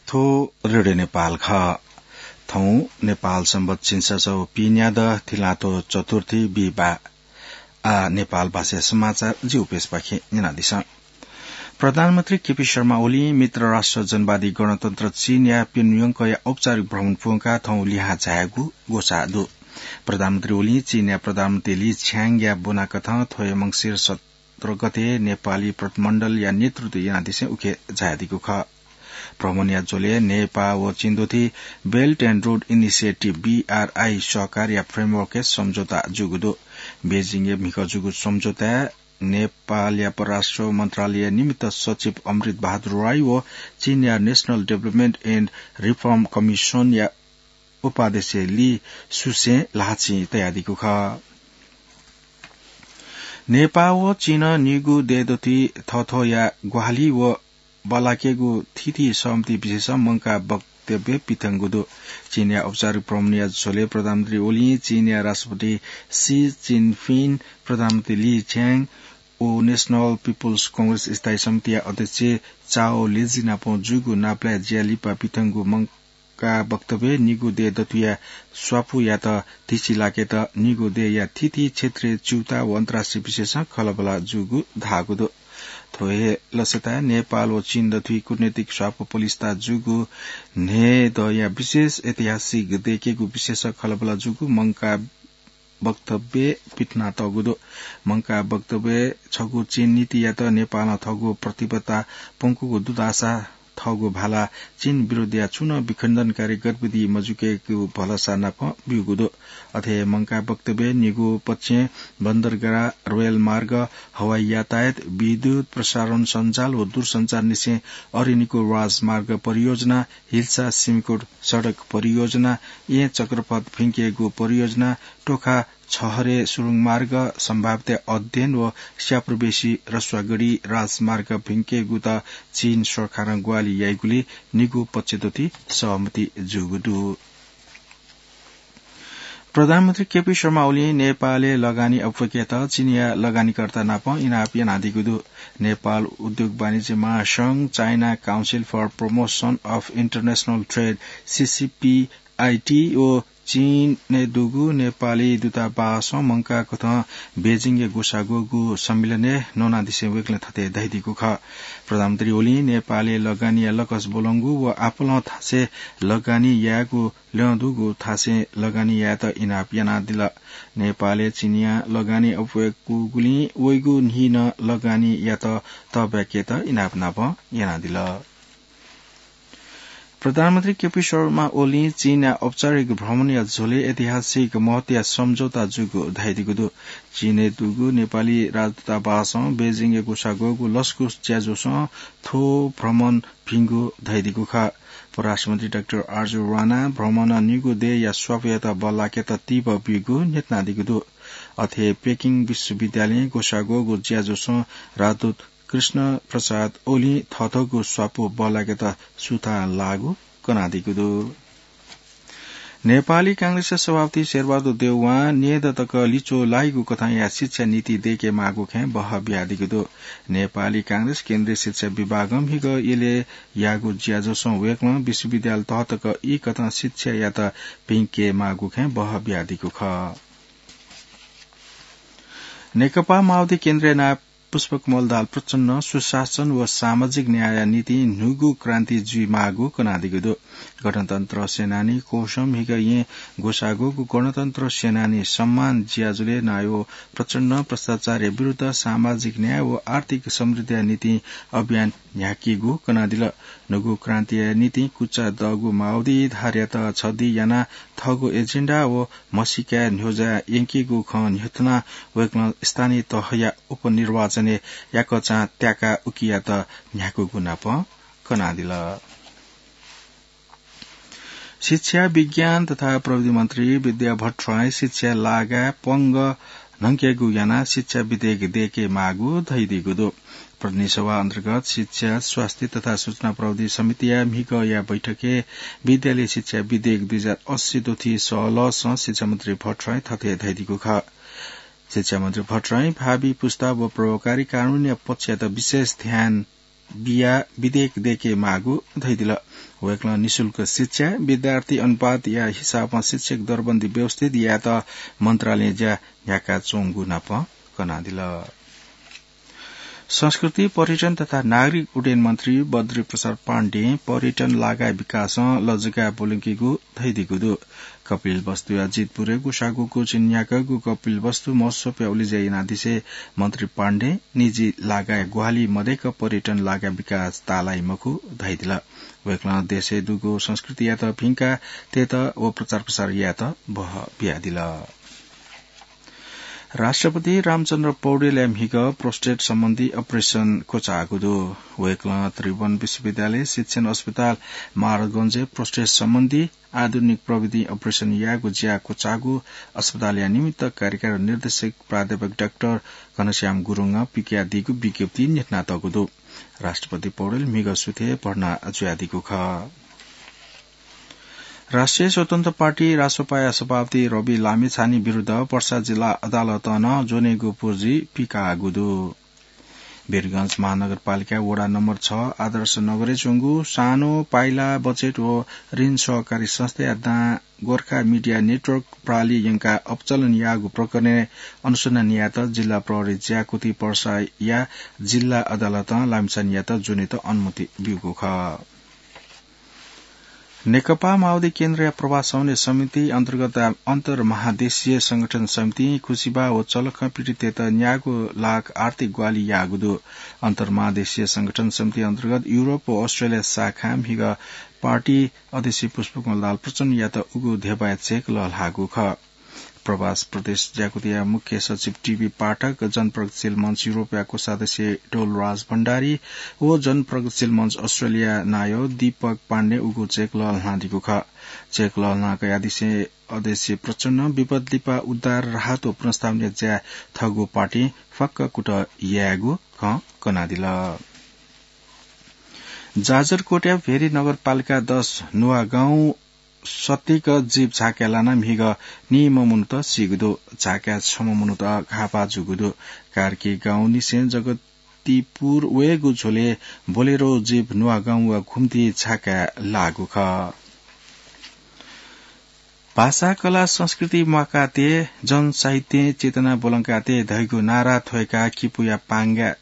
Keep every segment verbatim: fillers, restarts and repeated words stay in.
थ्व रेडियो नेपाल खः। थौं नेपाल संवत् झिंछसः व पीन्यादँ थिलाथ्व चतुर्थी बिहिबाः। आ, नेपाल भाषा समाचार जिगु पेजपाखें न्यनादिसँ। प्रधानमन्त्री केपी शर्मा ओलीं मित्र राष्ट्र जनवादी गणतन्त्र चीनया प्योङयाङया औपचारिक भ्रमण प्वंकाः थौं लिहां झायेगु ग्वसाः दु। प्रधानमन्त्री ओलीं चीनया प्रधानमन्त्री ली छ्याङया ब्वनाकथं थ्व हे मंसिर सत्र गते नेपाली प्रतिनिधिमण्डलया नेतृत्व यानादिसें उखे झायादीगु खः। भ्रमणया झ्वलय् नेपाः व चीन दथुइ Belt and Road Initiative, BRI, सहकारया framework-य् सम्झौता जूगु दु। बेजिङय् म्हिगः जूगु सम्झौताय् नेपालया परराष्ट्र मन्त्रालय निमित्त सचिव अमृत बहादुर राई व चीनया National Development and Reform Commission-या उपाध्यक्ष ली सुसें ल्हाःचिं तयादीगु खः। नेपाः व चीनं निगू देय् दथुइ थःथःया ग्वाहालि व बल्लाकेगु थीथी सहमति विषयसं मंकाः वक्तव्य पिथंगु दु। चीनया औपचारिक भ्रमणया झ्वलय् प्रधानमन्त्री ओलीं चीनया राष्ट्रपति सी जिनपिङ, प्रधानमन्त्री ली छ्याङ व National People's Congress स्थायी समितिया अध्यक्ष चाओ लेजी नाप जूगु नापलाये ज्या लिपा पिथंगु मंकाः वक्तव्यय् निगू देय् दथुया स्वापू यायेत धिचि लाकेत निगू देय्‌या थीथी क्षेत्रीय च्यूता व अन्तर्राष्ट्रिय विषयसं खँल्हाबल्हा जूगु धाःगु दु। थ्व हे लसताय् नेपाल व चीन दथुइ कूटनैतिक स्वापू पलिस्था जूगु न्हय्‌दँया विशेष ऐतिहासिक देय्‌केगु विषयसं खँल्हाबल्हा जूगु मंकाः वक्तव्यय् पिथनातःगु दु। मंकाः वक्तव्यय् छगू चीन नीतियात नेपालं थःगु प्रतिबद्धता प्वंकूगु दुतासा थःगु भाला चीन विरुद्धया छुं नं विखण्डनकारी गतिविधि मजुइकेगु भलसा नाप ब्यूगु दु। अथे हे मंकाः वक्तव्यय् निगू पक्षं बन्दरगाह, रेलमार्ग, हवाई यातायात, विद्युत प्रसारण सञ्जाल व दूरसञ्चार निसें अरिनिको राजमार्ग परियोजना, हिल्सा सिमिकोट सडक परियोजना, येँ चक्रपथ भिंकेगु परियोजना, टोखा छहरे सुरुङमार्ग सम्भाव्यता अध्ययन व स्यापुर्बेसी रसुवागढी राजमार्ग भिंकेगुत चीन सरकारं ग्वाहालि याइगुलिं निगू पक्ष दथुइ सहमति जूगु दु। प्रधानमन्त्री केपी शर्मा ओलीं नेपालय् लगानी अप्वय्‌केत चीनया लगानीकर्ता नाप इनाप यानादीगु दु। नेपाल उद्योग वाणिज्य महासंघ, China Council for Promotion of International Trade, सीसीपीआईटी, व चीनय् दुगु नेपाली दूतावासं मंकाः कथं बेजिङय् ग्वसाः ग्वःगु सम्मेलनय् न्वनादिसें वय्‌कलं थथे धयादीगु खः। प्रधानमन्त्री ओलीं नेपालय् लगानीया लकस ब्वलंगु व आपालं थासय् लगानी यायेगु ल्यं दुगु थासय् लगानी यायेत इनाप यानादिल। नेपालय् चीनया लगानी अप्वय्‌कूगुलिं वइगु न्हि नं लगानी यायेत तःब्याकेत इनाप नाप यानादिल। प्रधानमन्त्री केपी शर्मा ओलीं चीनया औपचारिक भ्रमणया झ्वलय् ऐतिहासिक महत्वया सम्झौता जूगु धयादीगु दु। चीनय् दुगु नेपाली राजदूतावासं बेजिङय् ग्वसाः ग्वःगु लसकुस ज्याझ्वलय् थ्व भ्रमण भिंगु धयादीगु खः। परराष्ट्रमन्त्री डाक्टर आरजु राणां भ्रमणं निगू देय्‌या स्वापू यायेत बल्लाकेत तीव्र ब्यूगु न्ह्यथनादीगु दु। अथे पेकिङ विश्वविद्यालयं ग्वसाः ग्वःगु ज्याझ्वलय् राजदूत कृष्ण प्रसाद ओलीं थःथःगु स्वापू बल्लाकेत सुथां लाःगु कनादीगु दु। नेपाली कांग्रेसया सभापति शेरबहादुर देउवां न्यय्‌दँ तक लिच्वः लाइगु कथंया शिक्षा नीति दय्‌के माःगु खँय् बहः बियादीगु दु। नेपाली कांग्रेस केन्द्रीय शिक्षा विभागं म्हिगः यलय् याःगु ज्याझ्वलय् वय्‌कलं विश्वविद्यालय तह तक ई कथं शिक्षायात भिंके माःगु खँय् बहः बियादीगु खः। नेकपा माओवादी केन्द्रया नायः पुष्पकमल दाहाल प्रचण्डं सुशासन व सामाजिक न्यायया निंतिं न्हूगु क्रान्ति जुइमाःगु कनादीगु दु। गणतन्त्र सेनानी कोसं म्हिगः येँ ग्वसाः ग्वःगु गणतन्त्र सेनानी सम्मान ज्याझ्वलय् नायः प्रचण्डं भ्रष्टाचारया विरुद्ध सामाजिक न्याय व आर्थिक समृद्धिया निंतिं अभियान न्ह्याकीगु कनादिल। न्हूगु क्रान्तिया निंतिं कुचा दःगु माओवादी धारयात छधी यानाः थःगु एजेन्डा व म्हसीकाय् न्ह्यज्याः यंकीगु खँ न्ह्यथनाः वय्कलं स्थानीय तहया उपनिर्वाचनय् याकःचां त्याकाः उकियात न्ह्याकूगु नाप कनादिल। शिक्षा, विज्ञान तथा प्रविधि मन्त्री विद्या भट्टराईं शिक्षा लागाय् पंगः न्हंकेगु यानाः शिक्षा विधेयक दय्के माःगु धयादीगु दु। प्रतिनिधि सभा अन्तर्गत शिक्षा, स्वास्थ्य तथा सूचना प्रविधि समितिया म्हिगःया बैठकय् विद्यालय शिक्षा विधेयक दुई हजार अस्सी दथुइ सहलहसं शिक्षा मन्त्री भट्टराईं थथे धयादीगु खः। शिक्षा मन्त्री भट्टराईं भावी पुस्ता व प्रभावकारी कानूनया पक्षयात विशेष ध्यान बिया विधेयक दय्के माःगु धयादिल। वय्कलं निशुल्क शिक्षा, विद्यार्थी अनुपातया हिसाबं शिक्षक दरबन्दी व्यवस्थित यायेत मन्त्रालयं ज्या न्ह्याकाच्वंगु नाप कनादिल। संस्कृति, पर्यटन तथा नागरिक उड्डयन मन्त्री बद्री प्रसाद पाण्डें पर्यटन लागाय् विकासं लजगाय् ब्वलंकीगु धयादीगु दु। कपिलवस्तुया जितपुरय् गुसागु गुचिन्याकःगु कपिलवस्तु महोत्सवया उलेज्या यानादिसें मन्त्री पाण्डें निजी लागाय् ग्वाहालि मदय्क पर्यटन लागाय् विकास ताःलाइ मखु धयादिल। वय्कलं देशय् दुगु संस्कृतियात भिंकाः तयेत व प्रचार प्रसार यायेत बह बियादिल। राष्ट्रपति रामचन्द्र पौडेलया म्हिगः prostate सम्बन्धी operation क्वचाःगु दु। वय्कलं त्रिभुवन विश्वविद्यालय शिक्षण अस्पताल महाराजगंजय् prostate सम्बन्धी आधुनिक प्रविधि operation यायेगु ज्या क्वचाःगु अस्पतालया निमित्त कार्यकारी निर्देशक प्राध्यापक डाक्टर घनश्याम गुरुङं पिकयादीगु विज्ञप्ति न्ह्यथनातःगु दु। राष्ट्रपति पौडेल म्हिगः सुथय् भर्ना जुयादीगु खः। राष्ट्रिय स्वतन्त्र पार्टी रासोपाया सभापति रवि लामिछाने विरुद्ध पर्सा जिल्ला अदालतं नं ज्वनेगु पुर्जी पिकाःगु दु। वीरगंज महानगरपालिका वडा नम्बर छ आदर्श नगरय् च्वंगु सानो पाइला बचत व ऋण सहकारी संस्थाया दां गोर्खा मिडिया नेटवर्क प्रालि यंकाः अपचलन याःगु प्रकरणय् अनुसन्धान यायेत जिल्ला प्रहरी ज्याकुथि पर्साया जिल्ला अदालतं लामिछानेयात ज्वनेत अनुमति ब्यूगु खः। नेकपा माओवादी केन्द्रया प्रवास समन्वय समिति अन्तर्गत अन्तर्महादेशीय संगठन समितिं खुसिबा व चलखं पीडिततय्त न्यागू लाख आर्थिक ग्वाहालि याःगु दु। अन्तर्महादेशीय संगठन समिति अन्तर्गत युरोप व अस्ट्रेलिया शाखां म्हिगः पार्टी अध्यक्ष पुष्पकमल दाहाल प्रचण्डयात उगु धेबाया चेक लःल्हाःगु खः। प्रवास प्रदेश ज्याकुथिया मुख्य सचिव टिबी पाठक, जनप्रगतिशील मञ्च युरोपया कोषाध्यक्ष डोलराज भण्डारी व जनप्रगतिशील मञ्च अस्ट्रेलिया नायः दीपक पाण्डें उगु चेक लःल्हानादीगु खः। चेक लःल्हाना कयादिसें अध्यक्ष प्रचण्डं विपद लिपा उद्धार, राहत व पुनर्स्थापनाया ज्याय् थःगु पार्टीं फक्क कुतः यायेगु खँ कनादिल। जाजरकोटया भेरी नगरपालिका दस नुवागाउँ सत्तीक जीप झाकाय् लानाः म्हिगः नीम्ह मनूत सीगु दु। झाकाय् छम्ह मनूत घाःपाः जूगु दु। कार्की गाउँनिसें जगतीपुर वयेगु झ्वलय् बोलेरो जीप नुवागाउँ व घुम्ती झाकाय् लाःगु खः। भाषा, कला, संस्कृति म्वाकातये, जनसाहित्यय् चेतना ब्वलंकातये धइगु नारा थ्वय्काः किपूया पांगा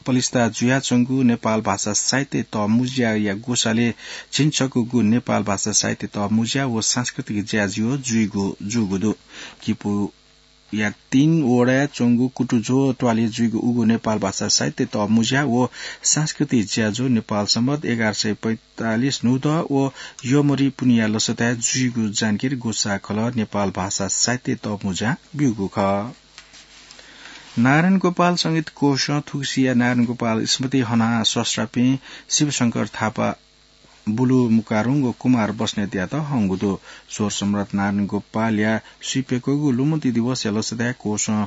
पलिस्था जुयाच्वंगु नेपाल भाषा साहित्य तःमुँज्याया ग्वसालय् झिंछगूगु नेपाल भाषा साहित्य तःमुँज्या व सांस्कृतिक ज्याझ्वः जुइगु जूगु दु। किपूया तीन वडाय् च्वंगु कुतुझ्वः त्वालय् जुइगु उगु नेपाल भाषा साहित्य तःमुँज्या व सांस्कृतिक ज्याझ्वः नेपाल संवत् एघार सय पैंतालिस न्हूदँ व यमरी पुन्हिया लसताय् जुइगु जानकारी ग्वसाः खलः नेपाल भाषा साहित्य तःमुँज्यां ब्यूगु खः। नारायण गोपाल संगीत कोषं थुगुसिया नारायण गोपाल स्मृति हनाः स्रष्टापिं शिवशंकर थापा, बुलु मुकारुङ व कुमार बस्नेतयात हंगु दु। स्वर सम्राट नारायण गोपालया स्वीप्यकूगु लुमन्ति दिवसया लसताय् कोषं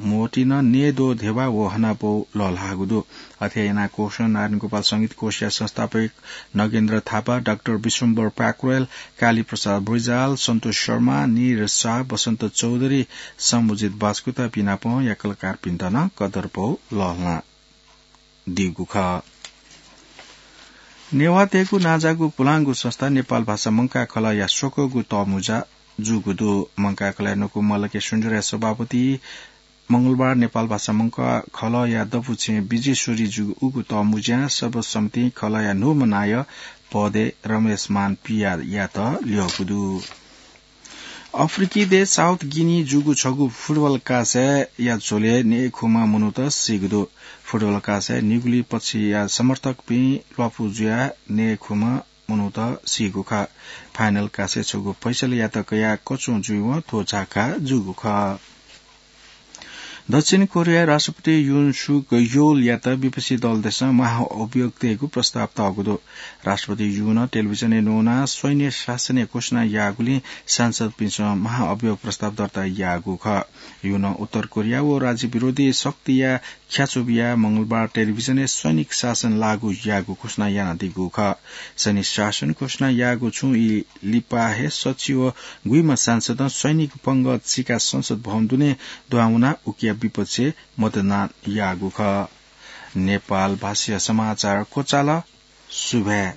मोटिन नेदो धेबा व हनापौ लःल्हाःगु दु। अथे यानाः कोषं नारायण गोपाल संगीत कोषया संस्थापक नगेन्द्र थापा, डाक्टर विश्वम्भर प्याकुरेल, काली प्रसाद बृजाल, सन्तोष शर्मा, निर शाह, बसन्त चौधरी, सम्बुजित बास्कुतापिं नापं या कलाकारपिन्त नं कदरपौ लःल्हाना दीगु खः। नेवाःतय्गु नांजाःगु पुलांगु संस्था नेपाल भाषा मंकाः खलःया स्वकःगु तःमुँज्या जूगु दु। मंकाः खलःया न्वकू मल्लके सुन्दरया सभापति मंगलबार नेपाल भाषा मंकाः खलःया दबू छेँ विजेश्वरी जूगु उगु तःमुँज्यां सर्वसम्मतिं खलःया न्हूम्ह नायः पदय् रमेश मान पियायात ल्यःगु दु। अफ्रिकी देश साउथ गिनी जूगु छगू फुटबल कासाय्या झ्वलय् नयेखुम्ह मनूत सीगु दु। फुटबल कासाय् निगुलिं पक्षया समर्थकपिं ल्वापु जुयाः नयेखुम्ह मनूत सीगु खः। फाइनल कासाय् छगू फैसलायात कयाः कच्वं जुइवं थ्व झाका जूगु खः। दक्षिण कोरियाय् राष्ट्रपति युन सुक योलयात विपक्षी दलतय्सं महाअभियोग तयेगु प्रस्ताव तःगु दु। राष्ट्रपति युनं टेलिभिजनय् न्वनाः सैन्य शासनया घोषणा याःगुलिं सांसदपिन्सं महाअभियोग प्रस्ताव दर्ता याःगु खः। युनं उत्तर कोरिया व राज्य विरोधी शक्तिया ख्याच्वः बियाः मंगलबार टेलिभिजनय् सैनिक शासन लागू याःगु घोषणा यानादीगु खः। सैनिक शासन घोषणा याःगु छुं ई लिपा हे सच्छि व गुइम्ह सांसदं सैनिक पंगः चिकाः संसद भवन दुने दुहां वनाः उकिया विपक्षय् मतदान याःगु खः। नेपाल भाषाया समाचार क्वचाल। सुभाय्।